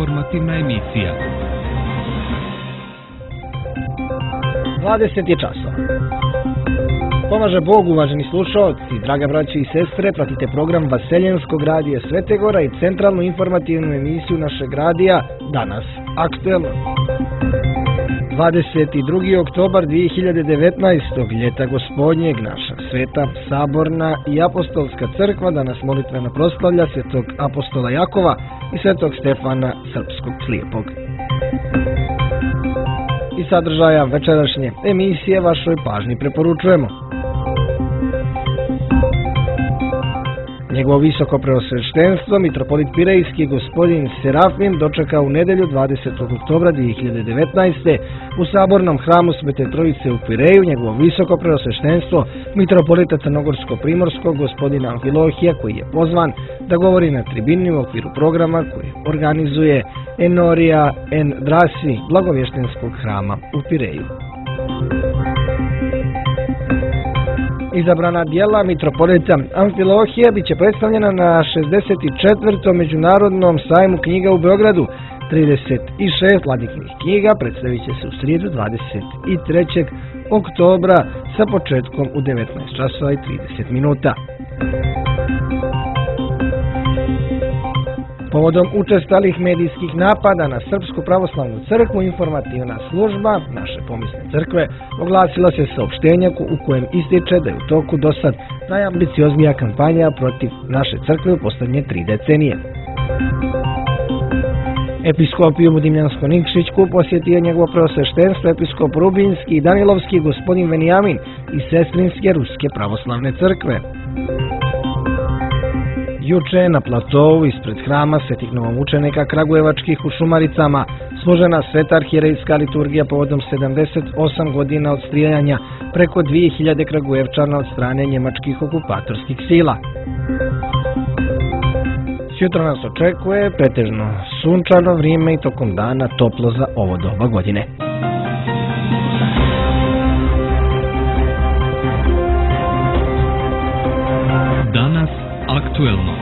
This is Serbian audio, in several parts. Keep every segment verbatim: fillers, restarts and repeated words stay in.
informativna emisija. dvadeset je časova. Pomaže Bog, uvaženi slušaoci, draga braće i sestre, pratite program Vaseljenskog radija Svete Gora i centralnu informativnu emisiju našeg radija Danas aktuelno. dvadeset drugi oktobar dvije hiljade devetnaestog. ljeta gospodnjeg, naša sveta, saborna i apostolska crkva danas molitveno proslavlja svetog apostola Jakova i svetog Stefana Srpskog slijepog. I sadržaja večerašnje emisije vašoj pažnji preporučujemo. Njegovo visoko preosveštenstvo, mitropolit Pirejski gospodin Serafim, dočekao u nedjelju dvadesetog oktobra dvije hiljade devetnaeste. u sabornom hramu Svete Trojice u Pireju. Njegovo visoko preosveštenstvo, mitropolita Crnogorsko-Primorskog gospodina Amfilohija, koji je pozvan da govori na tribini u okviru programa koji organizuje Enoria en Drasi blagovještenskog hrama u Pireju. Izabrana dijela mitropolita Amfilohija bit će predstavljena na šezdeset četvrtom međunarodnom sajmu knjiga u Beogradu. trideset šest vladiknih knjiga predstavit će se u srijedu dvadeset trećeg oktobra sa početkom u devetnaest časova i trideset minuta. Povodom učestalih medijskih napada na Srpsku pravoslavnu crkvu, informativna služba naše pomisne crkve oglasila se saopštenja u kojem ističe da je u toku do sad najambicioznija kampanja protiv naše crkve u posljednje tri decenije. Episkopiju Budimljansko-Nikšićku posjetio njegovo preosveštenstvo episkop Rubinski i Danilovski gospodin Venijamin iz Sestrinske Ruske pravoslavne crkve. Juče na platovu ispred hrama Svetih novomučenika Kragujevačkih u Šumaricama složena sveta arhijerejska liturgija povodom sedamdeset osam godina od strijeljanja preko dvije hiljade Kragujevčana od strane njemačkih okupatorskih sila. Sjutra nas očekuje pretežno sunčano vrijeme i tokom dana toplo za ovo doba godine. Danas aktuelno.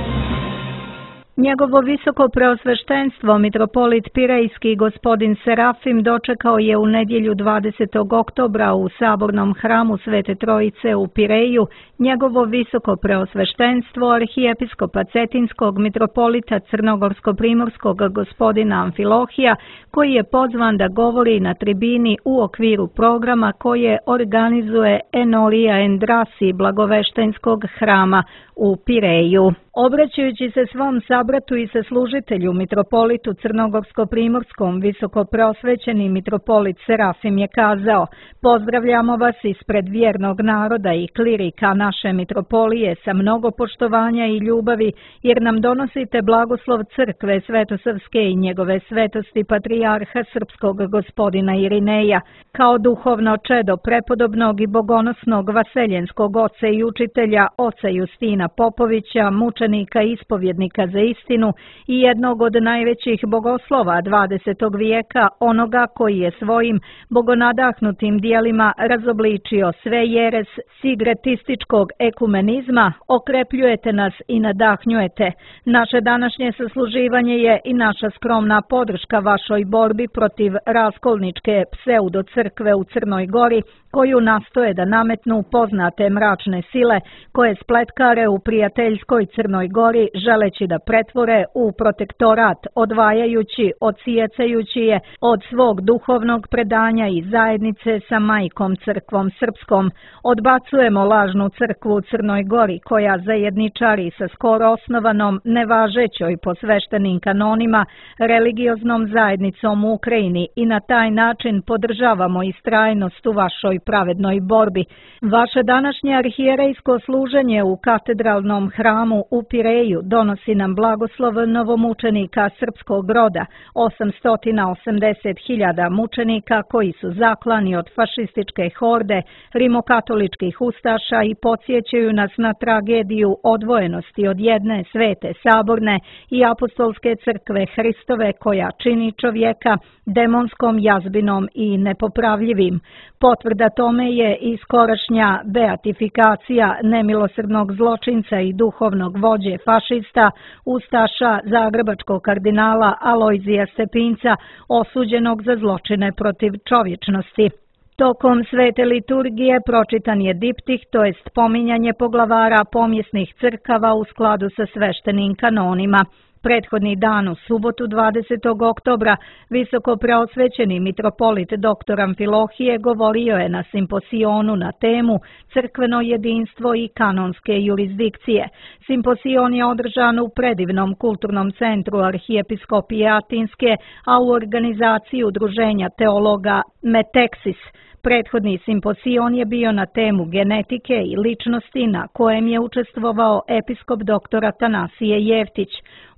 Njegovo visoko preosveštenstvo, mitropolit Pirejski gospodin Serafim, dočekao je u nedjelju dvadesetog oktobra u sabornom hramu Svete Trojice u Pireju njegovo visoko preosveštenstvo arhijepiskopa Cetinskog mitropolita Crnogorsko-Primorskog gospodina Amfilohija, koji je pozvan da govori na tribini u okviru programa koje organizuje Enoria en Drasi blagoveštenskog hrama u Pireju. Obraćajući se svom sabratu i saslužitelju mitropolitu Crnogorsko-Primorskom, visoko preosvećeni mitropolit Serafim je kazao: "Pozdravljamo vas ispred vjernog naroda i klirika naše mitropolije sa mnogo poštovanja i ljubavi, jer nam donosite blagoslov crkve Svetosavske i njegove svetosti patrijarha srpskog gospodina Irineja, kao duhovno čedo prepodobnog i bogonosnog vaseljenskog oca i učitelja oca Justina Popovića, mučenika i ispovjednika za istinu i jednog od najvećih bogoslova dvadesetog vijeka, onoga koji je svojim bogonadahnutim dijelima razobličio sve jeres sigretističkog ekumenizma, okrepljujete nas i nadahnjujete. Naše današnje sasluživanje je i naša skromna podrška vašoj borbi protiv raskolničke pseudocrkve u Crnoj Gori, koju nastoje da nametnu poznate mračne sile koje spletkare u prijateljskoj Crnoj Gori, želeći da pretvore u protektorat, odvajajući, odsjecajući je od svog duhovnog predanja i zajednice sa majkom crkvom srpskom. Odbacujemo lažnu crkvu u Crnoj Gori, koja zajedničari sa skoro osnovanom, nevažećoj po sveštenim kanonima, religioznom zajednicom u Ukrajini i na taj način podržavamo istrajnost u vašoj pravednoj borbi. Vaše današnje arhijerejsko služenje u katedralnom hramu u Pireju donosi nam blagoslov novomučenika srpskog roda, osamsto osamdeset hiljada mučenika koji su zaklani od fašističke horde rimokatoličkih ustaša i podsjećaju nas na tragediju odvojenosti od jedne svete, saborne i apostolske crkve Hristove, koja čini čovjeka demonskom jazbinom i nepopravljivim. Potvrda tome je i skorašnja beatifikacija nemilosrdnog zločinca i duhovnog vođe fašista u ustaša zagrebačkog kardinala Alojzija Stepinca, osuđenog za zločine protiv čovječnosti. Tokom svete liturgije pročitan je diptih, to jest pominjanje poglavara pomjesnih crkava u skladu sa sveštenim kanonima. Prethodni dan u subotu dvadesetog oktobra visoko preosvećeni mitropolit dr. Amfilohije govorio je na simposionu na temu Crkveno jedinstvo i kanonske jurisdikcije. Simposion je održan u predivnom kulturnom centru Arhijepiskopije Atinske, a u organizaciji udruženja teologa Meteksis. Prethodni simposion je bio na temu genetike i ličnosti na kojem je učestvovao episkop dr. Atanasije Jeftić.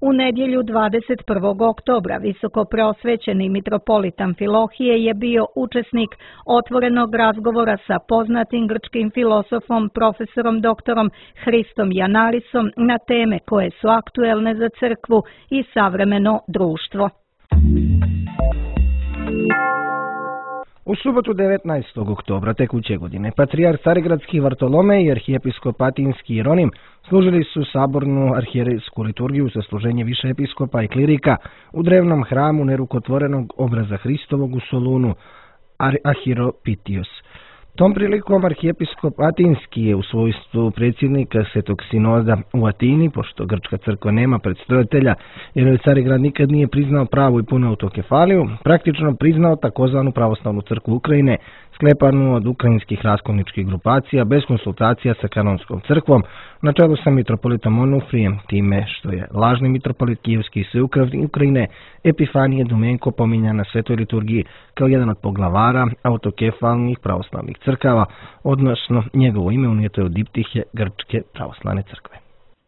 U nedjelju dvadeset prvog oktobra visoko preosvećeni mitropolit Amfilohije je bio učesnik otvorenog razgovora sa poznatim grčkim filosofom profesorom doktorom Hristom Janarisom na teme koje su aktuelne za crkvu i savremeno društvo. U subotu devetnaestog oktobra tekuće godine patrijarh Carigradski Vartolomej i arhijepiskop Atinski Jeronim služili su sabornu arhijerejsku liturgiju sa služenje više episkopa i klirika u drevnom hramu nerukotvorenog obraza Hristovog u Solunu, Ahiropitios. Tom prilikom arhijepiskop Atinski je u svojstvu predsjednika Svetog sinoda u Atini, pošto grčka crkva nema predstojatelja jer joj Carigrad nikad nije priznao pravu i punu autokefaliju, praktično priznao takozvanu pravoslavnu crkvu Ukrajine, sklepanu od ukrajinskih raskolničkih grupacija bez konsultacija sa kanonskom crkvom, na čelu sa mitropolitom Onufrijem, time što je lažni mitropolit kijevski i sveukravni Ukrajine Epifanije Dumenko pominjan na svetoj liturgiji kao jedan od poglavara autokefalnih pravoslavnih crkava, odnosno njegovo ime unijeto je u diptihe Grčke pravoslavne crkve.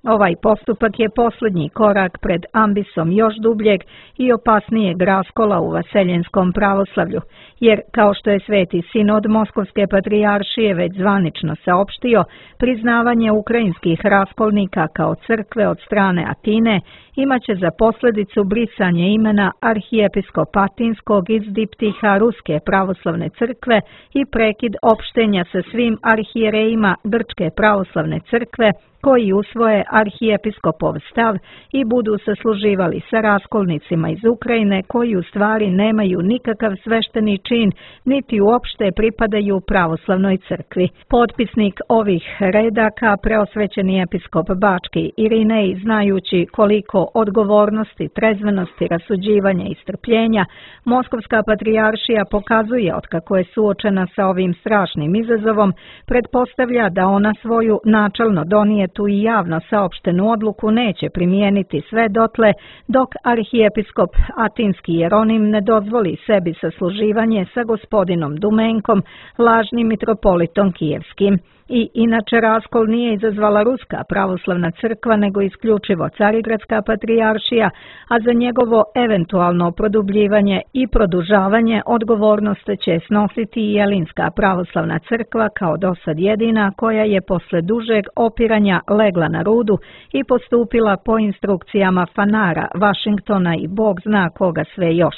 Ovaj postupak je posljednji korak pred ambisom još dubljeg i opasnijeg raskola u vaseljenskom pravoslavlju, jer, kao što je Sveti sinod Moskovske patrijaršije već zvanično saopštio, priznavanje ukrajinskih raskolnika kao crkve od strane Atine imaće za posljedicu brisanje imena arhijepiskopa Atinskog iz diptiha Ruske pravoslavne crkve i prekid opštenja sa svim arhijerejima Grčke pravoslavne crkve koji usvoje arhijepiskopov stav i budu sasluživali sa raskolnicima iz Ukrajine koji u stvari nemaju nikakav svešteni čin niti uopšte pripadaju pravoslavnoj crkvi. Potpisnik ovih redaka, preosvećeni episkop Bački Irinej, znajući koliko odgovornosti, trezvenosti, rasuđivanja i strpljenja Moskovska patrijaršija pokazuje otkako je suočena sa ovim strašnim izazovom, pretpostavlja da ona svoju načelno donijetu i javno saopštenu odluku neće primijeniti sve dotle dok arhijepiskop Atinski Jeronim ne dozvoli sebi sasluživanje sa gospodinom Dumenkom, lažnim mitropolitom kijevskim. I inače raskol nije izazvala Ruska pravoslavna crkva, nego isključivo Carigradska patrijaršija, a za njegovo eventualno produbljivanje i produžavanje odgovornost će snositi i Jelinska pravoslavna crkva kao dosad jedina koja je posle dužeg opiranja legla na rudu i postupila po instrukcijama Fanara, Vašingtona i Bog zna koga sve još.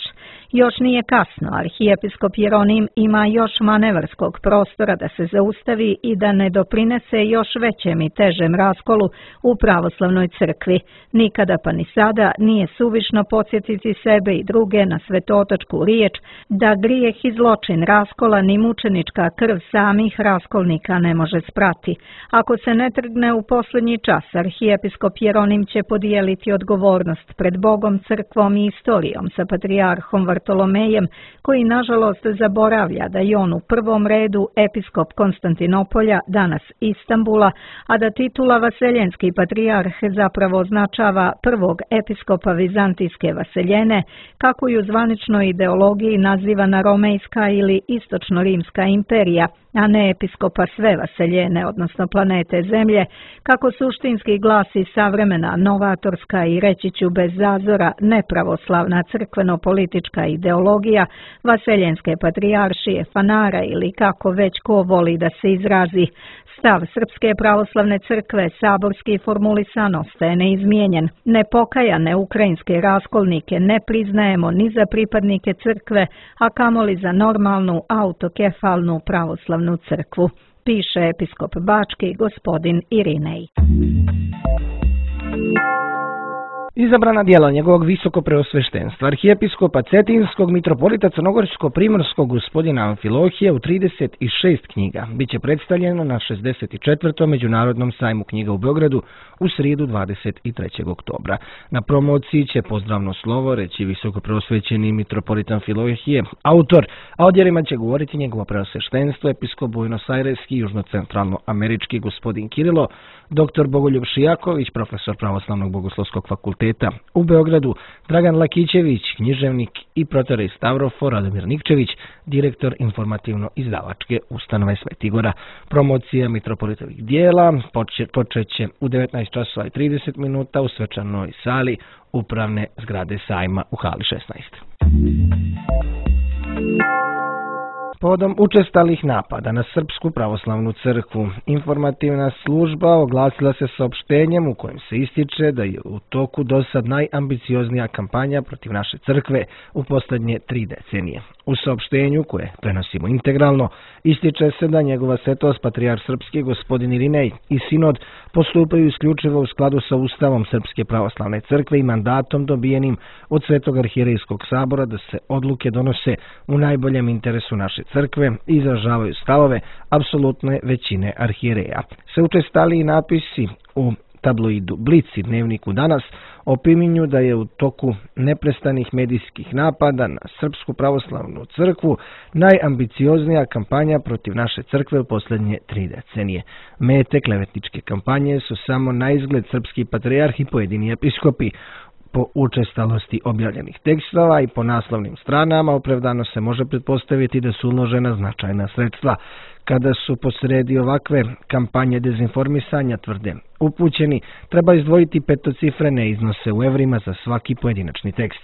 Još nije kasno, arhijepiskop Jeronim ima još manevarskog prostora da se zaustavi i da ne doprinese još većem i težem raskolu u pravoslavnoj crkvi. Nikada pa ni sada nije suvišno podsjetiti sebe i druge na svetotačku riječ da grijeh i zločin raskola ni mučenička krv samih raskolnika ne može sprati. Ako se ne trgne u posljednji čas, arhijepiskop Jeronim će podijeliti odgovornost pred Bogom, crkvom i istorijom sa patrijarhom Vartolomejem, koji nažalost zaboravlja da je on u prvom redu episkop Konstantinopolja, danas Istambula, a da titula vaseljenski patrijarh zapravo označava prvog episkopa Vizantijske vaseljene, kako ju zvaničnoj ideologiji nazivana Romejska ili Istočno-Rimska imperija, a ne episkopa sve vaseljene, odnosno planete Zemlje, kako suštinski glasi savremena, novatorska i reći ću bez zazora nepravoslavna crkveno-politička ideologija vaseljenske patrijaršije, Fanara ili kako već ko voli da se izrazi. Stav Srpske pravoslavne crkve saborski formulisan ostaje neizmijenjen. Nepokajane ukrajinske raskolnike ne priznajemo ni za pripadnike crkve, a kamoli za normalnu autokefalnu pravoslavnu crkvu, piše episkop Bački gospodin Irinej. Izabrana djela njegovog visoko preosveštenstva, arhijepiskopa Cetinskog, mitropolita Crnogorsko-primorskog gospodina Amfilohija u trideset šest knjiga biće predstavljeno na šezdeset četvrtom Međunarodnom sajmu knjiga u Beogradu u srijedu dvadeset trećeg oktobra. Na promociji će pozdravno slovo reći visoko preosvećeni mitropolit Amfilohije, autor, a o djelima će govoriti njegovo preosveštenstvo, episkop Buenos Aireski i južno-centralno-američki gospodin Kirilo, doktor Bogoljub Šijaković, profesor Pravoslavnog bogoslovskog fakulteta u Beogradu, Dragan Lakićević, književnik i protorej Stavrofor, Radomir Nikčević, direktor informativno-izdavačke ustanove Sveti Gora. Promocija mitropolitovih dijela počet će u devetnaest časova i trideset minuta u svečanoj sali upravne zgrade sajma u hali šesnaest. Povodom učestalih napada na Srpsku pravoslavnu crkvu, informativna služba oglasila se saopštenjem u kojem se ističe da je u toku dosad najambicioznija kampanja protiv naše crkve u posljednje tri decenije. U saopštenju, koje prenosimo integralno, ističe se da njegova svetost patrijarh srpski gospodin Irinej i sinod postupaju isključivo u skladu sa Ustavom Srpske pravoslavne crkve i mandatom dobijenim od Svetog arhijerejskog sabora da se odluke donose u najboljem interesu naše crkve i izražavaju stavove apsolutne većine arhijereja. Se učestali i napisi u tabloidu Blic i dnevniku Danas opominju da je u toku neprestanih medijskih napada na Srpsku pravoslavnu crkvu najambicioznija kampanja protiv naše crkve u posljednje tri decenije. Mete klevetničke kampanje su samo na izgled srpski patrijarh i pojedini episkopi. Po učestalosti objavljenih tekstova i po naslovnim stranama opravdano se može pretpostaviti da su uložena značajna sredstva. Kada su posredi ovakve kampanje dezinformisanja, tvrde upućeni, treba izdvojiti petocifrene iznose u evrima za svaki pojedinačni tekst.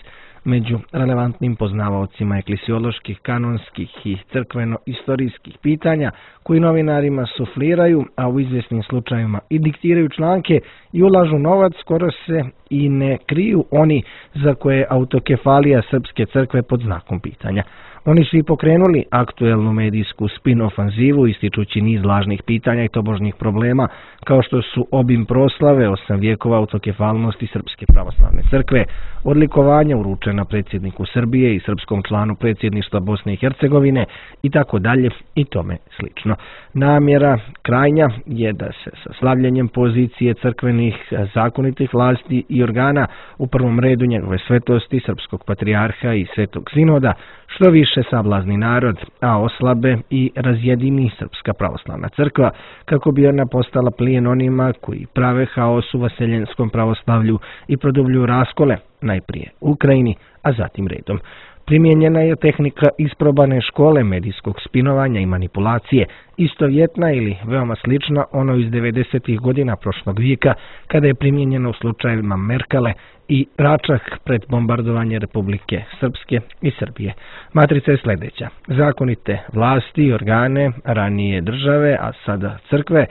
Među relevantnim poznavaocima eklesioloških, kanonskih i crkveno-istorijskih pitanja koji novinarima sufliraju, a u izvjesnim slučajevima i diktiraju članke i ulažu novac, skoro se i ne kriju oni za koje je autokefalija Srpske crkve pod znakom pitanja. Oni su i pokrenuli aktuelnu medijsku spin-ofanzivu ističući niz lažnih pitanja i tobožnjih problema, kao što su obim proslave osam vijekova autokefalnosti Srpske pravoslavne crkve, odlikovanja uručena predsjedniku Srbije i srpskom članu predsjedništva Bosne i Hercegovine i tako dalje i tome slično. Namjera krajnja je da se sa slavljenjem pozicije crkvenih zakonitih vlasti i organa, u prvom redu njegove svetosti, srpskog patrijarha i svetog sinoda, što više sablazni narod, a oslabe i razjedini Srpska pravoslavna crkva, kako bi ona postala plijen onima koji prave haos u vaseljenskom pravoslavlju i produbljuju raskole, najprije u Ukrajini, a zatim redom. Primijenjena je tehnika isprobane škole medijskog spinovanja i manipulacije, istovjetna ili veoma slična ono iz devedesetih godina prošlog vijeka, kada je primijenjena u slučajevima Merkale i Račak pred bombardovanje Republike Srpske i Srbije. Matrica je sljedeća. Zakonite vlasti i organe ranije države, a sada crkve,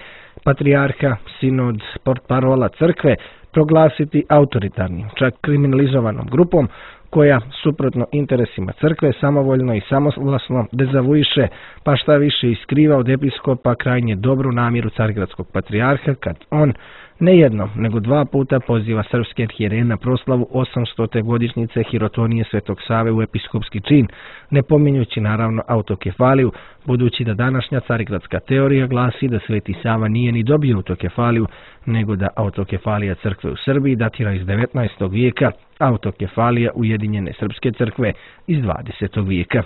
patrijarha, sinod, portparola crkve, proglasiti autoritarnim, čak kriminalizovanom grupom, koja, suprotno interesima crkve, samovoljno i samovlasno dezavuiše, pa šta više iskriva od episkopa krajnje dobru namjeru carigradskog patrijarha, kad on ne jednom, nego dva puta poziva srpske arhijereje na proslavu osamstote godišnjice hirotonije Svetog Save u episkopski čin, ne pominjući naravno autokefaliju, budući da današnja carigradska teorija glasi da Sveti Sava nije ni dobio autokefaliju, nego da autokefalija crkve u Srbiji datira iz devetnaestog vijeka, autokefalija Ujedinjene srpske crkve iz dvadesetog vijeka.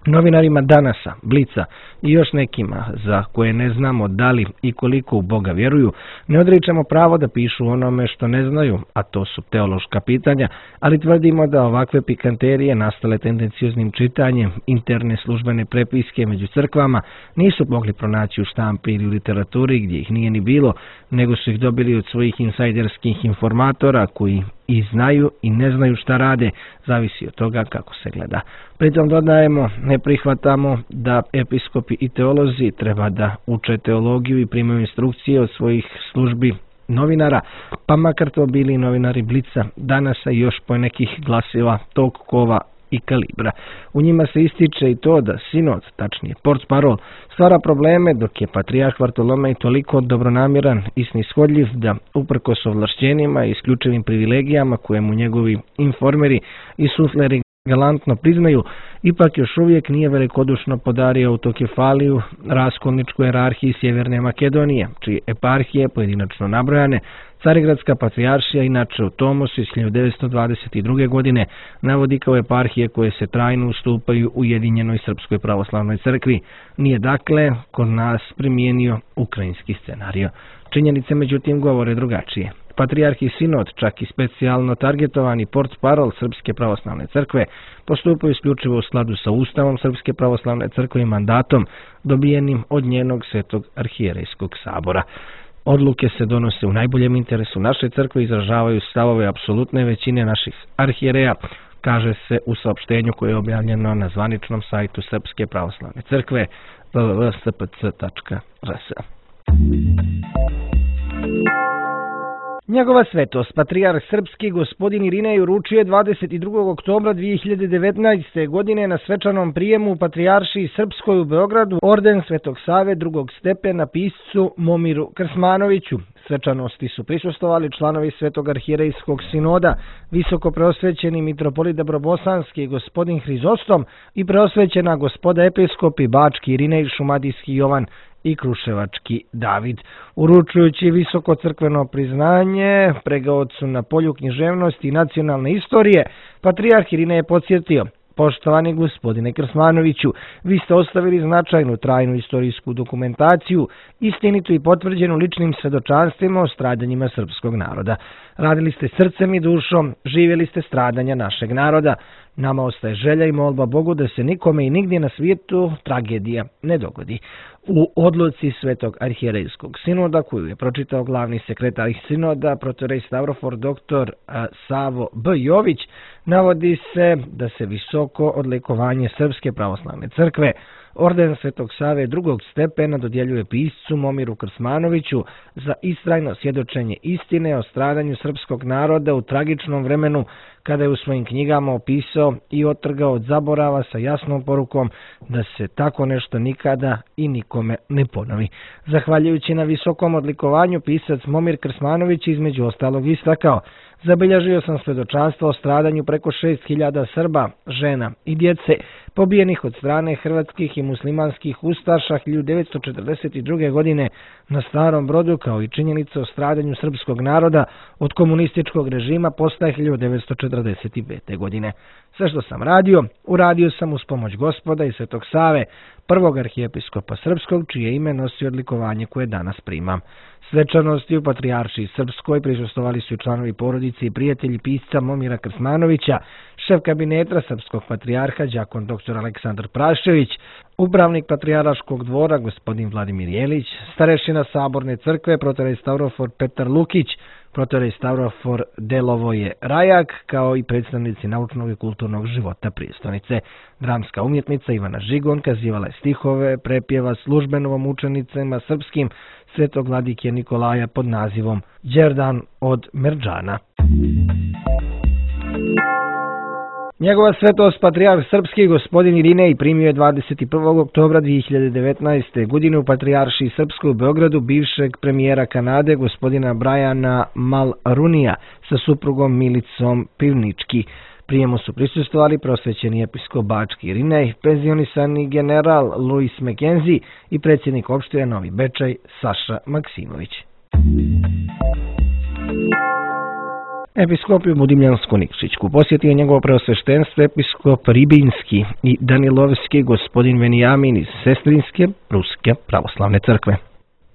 Novinarima Danasa, Blica i još nekima za koje ne znamo da li i koliko u Boga vjeruju, ne odričemo pravo da pišu onome što ne znaju, a to su teološka pitanja, ali tvrdimo da ovakve pikanterije nastale tendencioznim čitanjem interne službene prepiske među crkvama nisu mogli pronaći u štampi ili u literaturi gdje ih nije ni bilo, nego su ih dobili od svojih insajderskih informatora koji i znaju i ne znaju šta rade, zavisi od toga kako se gleda. Pritom dodajemo, ne prihvatamo da episkopi i teolozi treba da uče teologiju i primaju instrukcije od svojih službi novinara, pa makar to bili novinari Blica, Danasa i još po nekih glasila tog kova i kalibra. U njima se ističe i to da sinod, tačnije portparol, stvara probleme, dok je patrijarh Vartolomej toliko dobronamjeran i snishodljiv da, uprkos ovlašćenjima i isključivim privilegijama koje mu njegovi informeri i sufleri galantno priznaju, ipak još uvijek nije velikodušno podario autokefaliju raskolničkoj jerarhiji Sjeverne Makedonije, čije eparhije, pojedinačno nabrojane, Carigradska patrijaršija, inače u Tomosu iz hiljadu devetsto dvadeset druge. godine, navodi kao eparhije koje se trajno ustupaju Ujedinjenoj Srpskoj pravoslavnoj crkvi. Nije dakle kod nas primijenio ukrajinski scenario. Činjenice međutim govore drugačije. Patrijarh i sinod, čak i specijalno targetovani portparol Srpske pravoslavne crkve, postupaju isključivo u skladu sa Ustavom Srpske pravoslavne crkve i mandatom dobijenim od njenog Svetog arhijerejskog sabora. Odluke se donose u najboljem interesu naše crkve i izražavaju stavove apsolutne većine naših arhijereja, kaže se u saopštenju koje je objavljeno na zvaničnom sajtu Srpske pravoslavne crkve w w w tačka s p c tačka r s. Njegova svetost, patrijarh srpski gospodin Irinej, uručio je dvadeset drugog oktobra dvije hiljade devetnaeste. godine na svečanom prijemu u Patrijaršiji Srpskoj u Beogradu orden Svetog Save drugog stepena piscu Momiru Krsmanoviću. Svečanosti su prisustvovali članovi Svetog arhijerejskog sinoda, visoko preosvećeni mitropolit Dabrobosanski gospodin Hrizostom i preosvećena gospoda episkopi Bački Irinej, Šumadijski Jovan i Kruševački David. Uručujući visoko crkveno priznanje pregaocu na polju književnosti i nacionalne istorije, patrijarh Irinej je podsjetio: poštovani gospodine Krsmanoviću, vi ste ostavili značajnu trajnu istorijsku dokumentaciju, istinitu i potvrđenu ličnim svedočanstvima o stradanjima srpskog naroda. Radili ste srcem i dušom, živjeli ste stradanja našeg naroda. Nama ostaje želja i molba Bogu da se nikome i nigdje na svijetu tragedija ne dogodi. U odluci Svetog arhijerejskog sinoda, koju je pročitao glavni sekretar sinoda, protorej Stavrofor doktor Savo B. Jović, navodi se da se visoko odlikovanje Srpske pravoslavne crkve, orden Svetog Save drugog stepena, dodjeljuje piscu Momiru Krsmanoviću za istrajno svjedočenje istine o stradanju srpskog naroda u tragičnom vremenu, kada je u svojim knjigama opisao i otrgao od zaborava sa jasnom porukom da se tako nešto nikada i nikome ne ponovi. Zahvaljujući na visokom odlikovanju, pisac Momir Krsmanović između ostalog istakao: zabilježio sam svjedočanstvo o stradanju preko šest hiljada Srba, žena i djece, pobijenih od strane hrvatskih i muslimanskih ustaša hiljadu devetsto četrdeset druge. godine na Starom Brodu, kao i činjenica o stradanju srpskog naroda od komunističkog režima posle hiljadu devetsto četrdeset pete. godine. Sve što sam radio, uradio sam uz pomoć Gospoda i Svetog Save, prvog arhijepiskopa srpskog, čije ime nosi odlikovanje koje danas primam. Svečanosti u Patrijaršiji Srpskoj prisustvovali su i članovi porodice i prijatelji pisca Momira Krsmanovića, šef kabineta srpskog patrijarha đakon doktor Aleksandar Prašević, upravnik Patrijarškog dvora gospodin Vladimir Jelić, starešina Saborne crkve protorej Stavrofor Petar Lukić, protorej Stavrofor Delovoje Rajak, kao i predstavnici naučnog i kulturnog života prijestolnice. Dramska umjetnica Ivana Žigon kazivala je stihove prepjeva službenovom učenicama srpskim Svetog vladike Nikolaja pod nazivom Đerdan od Merdžana. Njegova svetost patrijarh srpski gospodin Irinej primio je dvadeset prvog oktobra dvije hiljade devetnaeste. godine u Patrijaršiji Srpskoj u Beogradu bivšeg premijera Kanade gospodina Briana Mulrooneyja sa suprugom Milicom Pivnički. Prijemu su prisustvovali prosvećeni episkop Bački Irinej, penzionisani general Louis McKenzie i predsjednik opštine Novi Bečej Saša Maksimović. Episkopiju Budimljansku Nikšićku posjetio je njegovo preosveštenstvo episkop Ribinski i Danilovski gospodin Venijamin iz Sestrinske Ruske pravoslavne crkve.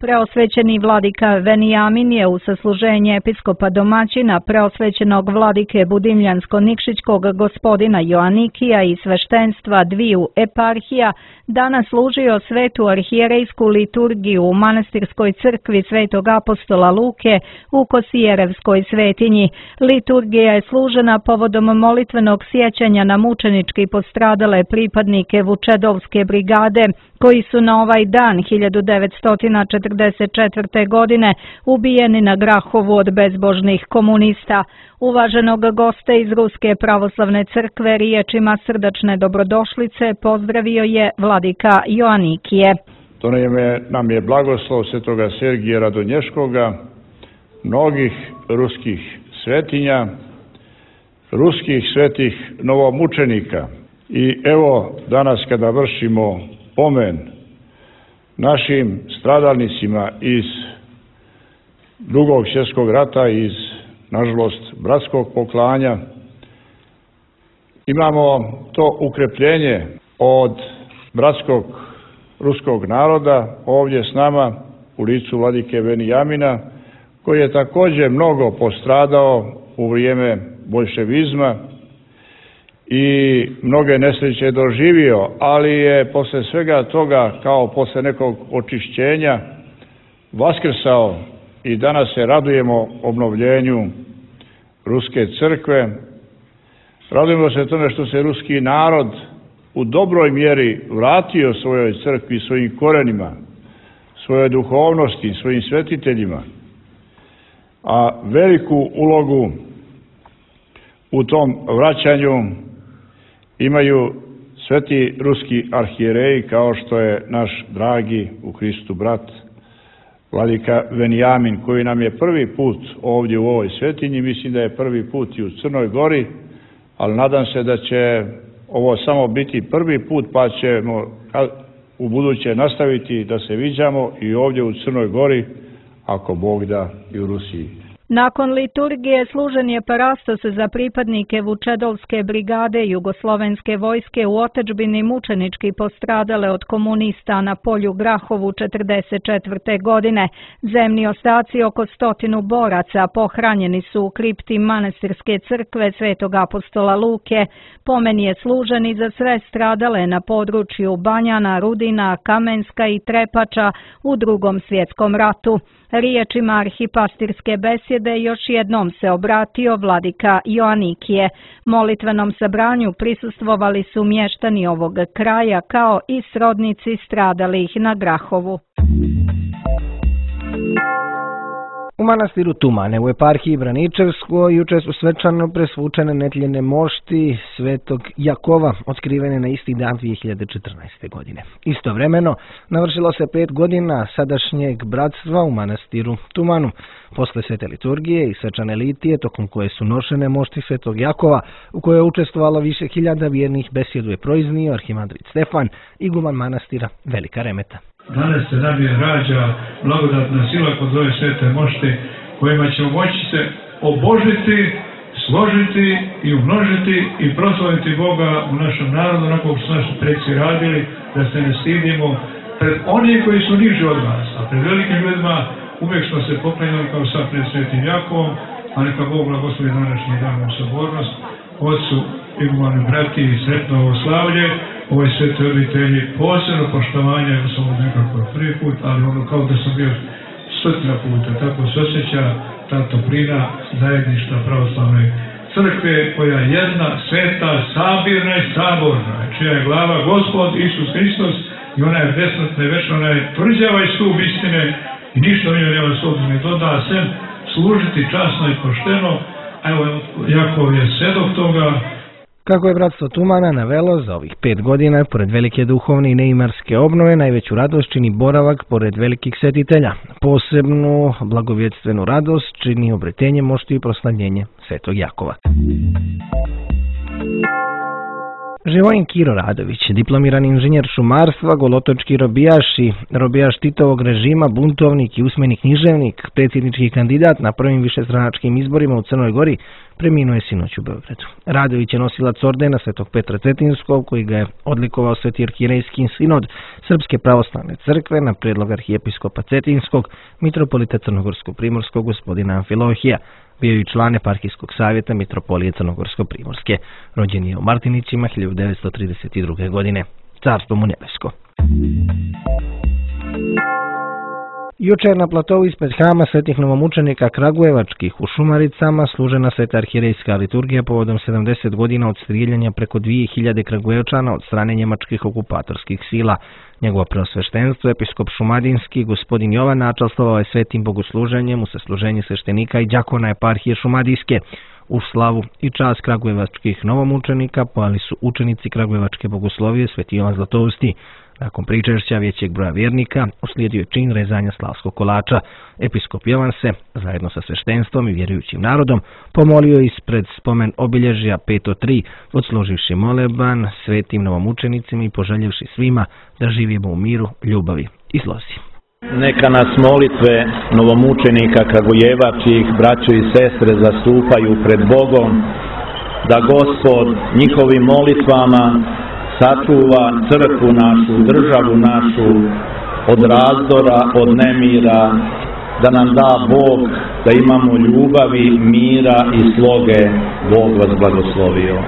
Preosvećeni vladika Venijamin je u sasluženje episkopa domaćina preosvećenog vladike Budimljansko-Nikšićkog gospodina Joanikija i sveštenstva dviju eparhija danas služio svetu arhijerejsku liturgiju u manastirskoj crkvi Svetog apostola Luke u Kosijerevskoj svetinji. Liturgija je služena povodom molitvenog sjećanja na mučenički postradale pripadnike Vučedovske brigade, koji su na ovaj dan hiljadu devetsto četrdeset četrdeset četvrte. godine ubijeni na Grahovu od bezbožnih komunista. Uvaženog gosta iz Ruske pravoslavne crkve riječima srdačne dobrodošlice pozdravio je vladika Joanikije. To nam je blagoslov svetoga Sergija Radonješkoga, mnogih ruskih svetinja, ruskih svetih novomučenika. I evo danas kada vršimo pomen našim stradalnicima iz Drugog svjetskog rata, iz nažalost bratskog poklanja, imamo to ukrepljenje od bratskog ruskog naroda ovdje s nama u licu vladike Venijamina, koji je također mnogo postradao u vrijeme boljševizma i mnoge nesreće doživio, ali je posle svega toga, kao posle nekog očišćenja, vaskrsao i danas se radujemo obnovljenju Ruske crkve. Radujemo se tome što se ruski narod u dobroj mjeri vratio svojoj crkvi, svojim korenima, svojoj duhovnosti, svojim svetiteljima, a veliku ulogu u tom vraćanju imaju sveti ruski arhijereji, kao što je naš dragi u Hristu brat vladika Venijamin, koji nam je prvi put ovdje u ovoj svetinji, mislim da je prvi put i u Crnoj Gori, ali nadam se da će ovo samo biti prvi put, pa ćemo u buduće nastaviti da se viđamo i ovdje u Crnoj Gori, ako Bog da, i u Rusiji. Nakon liturgije služen je parastos za pripadnike Vučedolske brigade Jugoslovenske vojske u otadžbini mučenički postradale od komunista na polju Grahovu četrdeset četvrte. godine. Zemni ostaci oko stotinu boraca pohranjeni su u kripti manastirske crkve Svetog apostola Luke. Pomen je služen i za sve stradale na području Banjana, Rudina, Kamenska i Trepača u Drugom svjetskom ratu. Riječima arhipastirske besjede još jednom se obratio vladika Joanikije. Molitvenom sabranju prisustvovali su mještani ovog kraja kao i srodnici stradalih na Grahovu. U manastiru Tumane u eparhiji Braničevsko juče su svečano presvučene netljene mošti Svetog Jakova, otkrivene na isti dan dvije hiljade četrnaeste. godine. Istovremeno navršilo se pet godina sadašnjeg bratstva u manastiru Tumanu. Posle svete liturgije i svečane litije, tokom koje su nošene mošti Svetog Jakova, u kojoj je učestvovalo više hiljada vjernih, besjedu je proiznio arhimandrit Stefan, iguman manastira Velika Remeta. Danas se nam je rađa blagodatna sila kod ove svete mošte, kojima ćemo moći se obožiti, složiti i umnožiti i proslaviti Boga u našem narodu, onako kako su naši preci radili, da se ne stidimo pred oni koji su niži od nas, a pred velikim ljudima uvijek smo se poklanjali kao sad pred Svetim Jakovom, a neka Bog blagoslovi današnji dan u sabornost, Otcu, igumani brati i sretno ovo slavlje, ovoj svetoj obitelji posebno poštovanje, ja sam od nekako prvi put, ali ono kao da sam bio stotina puta, tako se osjeća ta toplina zajedništva pravoslavne crkve, koja je jedna, sveta, sabirna i saborna, čija je glava Gospod Isus Hristos i ona je besmrtna i večna, ona je tvrđava i stup istine i ništa u njoj nema sobu ne doda, sem služiti časno i pošteno, a evo Jakov je svedok toga. Kako je bratstvo Tumana navelo, za ovih pet godina, pored velike duhovne i neimarske obnove, najveću radost čini boravak pored velikih svetitelja. Posebnu blagovjetstvenu radost čini obretenje mošti i proslavljenje Svetog Jakova. Živojin Kiro Radović, diplomirani inženjer šumarstva, golotočki robijaš i robijaš Titovog režima, buntovnik i usmeni književnik, predsjednički kandidat na prvim višestranačkim izborima u Crnoj Gori, preminuo je sinoć u Beogradu. Radović je nosilac ordena Svetog Petra Cetinskog, koji ga je odlikovao Sveti arhijerejski sinod Srpske pravoslavne crkve na prijedlog arhijepiskopa Cetinskog, mitropolita Crnogorsko-primorskog gospodina Amfilohija. Bio je i član eparhijskog savjeta mitropolije Crnogorsko-primorske. Rođen je u Martinićima hiljadu devetsto trideset druge. godine. Carstvo mu nebesko. Jučer na platovu ispred hrama svetih novomučenika Kragujevačkih u Šumaricama služena sveta arhijerejska liturgija povodom sedamdeset godina od strijeljanja preko dvije hiljade Kragujevčana od strane njemačkih okupatorskih sila. Njegovo preosveštenstvo, episkop šumadinski, gospodin Jovan, načastvovao je svetim bogosluženjem u sasluženje sveštenika i đakona eparhije šumadijske. U slavu i čast kragujevačkih novomučenika pojeli su učenici kragujevačke bogoslovije Sveti Jovan Zlatousti. Nakon pričešća većeg broja vjernika uslijedio je čin rezanja slavskog kolača. Episkop Jovan se, zajedno sa sveštenstvom i vjerujućim narodom, pomolio ispred spomen obilježja pet tri, odsluživši moleban svetim novomučenicima i poželjevši svima da živimo u miru, ljubavi i slozi. Neka nas molitve novomučenika kragujevačkih, braćo i sestre, zastupaju pred Bogom, da Gospod njihovim molitvama sačuva crkvu našu, državu našu od razdora, od nemira, da nam da Bog da imamo ljubavi, mira i sloge. Bog vas blagoslovio.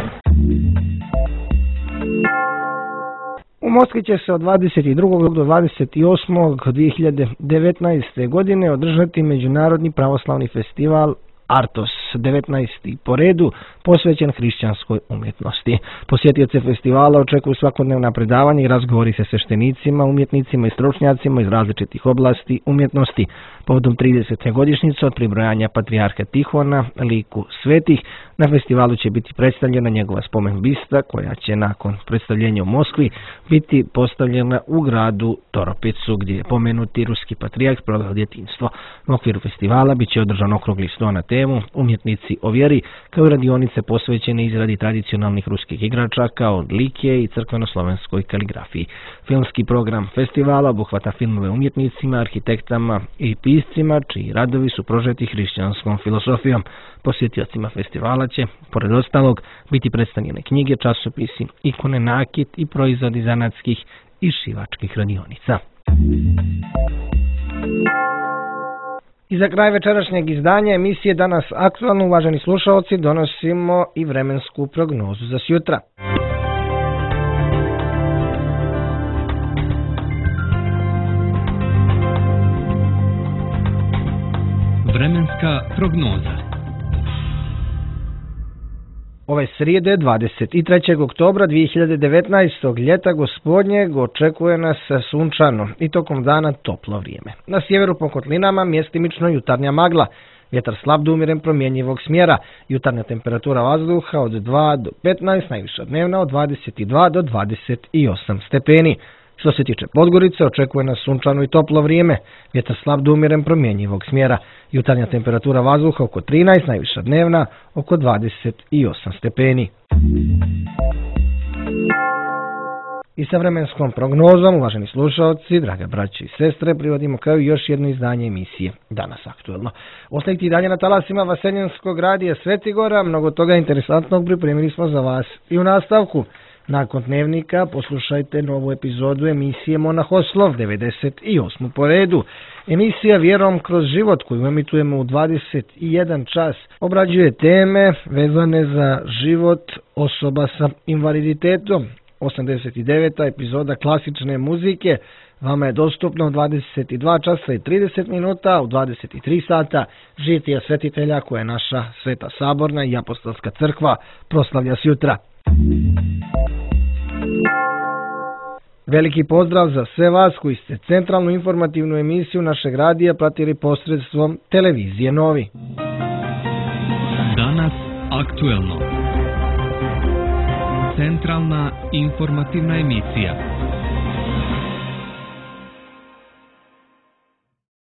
U Moskvi će se od dvadeset drugog do dvadeset osmog dvije hiljade devetnaeste. godine održati Međunarodni pravoslavni festival Artos, devetnaesti po redu, posvećen hrišćanskoj umjetnosti. Posjetioce festivala očekuju svakodnevna predavanja i razgovori sa sveštenicima, umjetnicima i stručnjacima iz različitih oblasti umjetnosti. Povodom tridesete godišnjice od pribrojanja patrijarha Tihona, liku svetih, na festivalu će biti predstavljena njegova spomen bista, koja će nakon predstavljenja u Moskvi biti postavljena u gradu Toropicu, gdje je pomenuti ruski patrijarh proveo djetinjstvo. U okviru festivala bit će održan okrugli sto na temu Umjetnici o vjeri, kao i radionice posvećene izradi tradicionalnih ruskih igračaka od likije i crkveno-slovenskoj kaligrafiji. Filmski program festivala obuhvata filmove umjetnicima, arhitektama i piscima, čiji radovi su prožeti hrišćanskom filosofijom. Posjetiocima festivala će, pored ostalog, biti predstavljene knjige, časopisi, ikone, nakit i proizvodi zanatskih i šivačkih radionica. I za kraj večerašnjeg izdanja emisije Danas aktualno, uvaženi slušalci, donosimo i vremensku prognozu za sjutra. Vremenska prognoza. Ove srijede, dvadeset trećeg oktobra dvije hiljade devetnaestog. ljeta gospodnjeg očekuje nas sunčano i tokom dana toplo vrijeme. Na sjeveru po kotlinama mjestimično jutarnja magla, vjetar slab do umjeren promjenjivog smjera, jutarnja temperatura vazduha od dva do petnaest, najviša dnevna od dvadeset dva do dvadeset osam stepeni. Što se tiče Podgorice, očekuje nas sunčano i toplo vrijeme, vjetar slab do umjeren promjenjivog smjera, jutarnja temperatura vazduha oko trinaest, najviša dnevna oko dvadeset osam stepeni. I sa vremenskom prognozom, uvaženi slušalci, draga braće i sestre, privodimo kao i još jedno izdanje emisije Danas aktualno. Ostajte i dalje na talasima Vaseljenskog radija Svetigora, mnogo toga interesantnog pripremili smo za vas i u nastavku. Nakon dnevnika poslušajte novu epizodu emisije Monahoslov, devedeset osmu po redu. Emisija Vjerom kroz život, koju emitujemo u dvadeset jedan čas, obrađuje teme vezane za život osoba sa invaliditetom. osamdeset deveta epizoda klasične muzike vama je dostupna u dvadeset dva časa i trideset minuta, u dvadeset tri sata žitija svetitelja koje naša Sveta Saborna i Apostolska crkva proslavlja sjutra. Veliki pozdrav za sve vas koji ste centralnu informativnu emisiju našeg radija pratili posredstvom televizije Novi. Danas aktuelno. Centralna informativna emisija.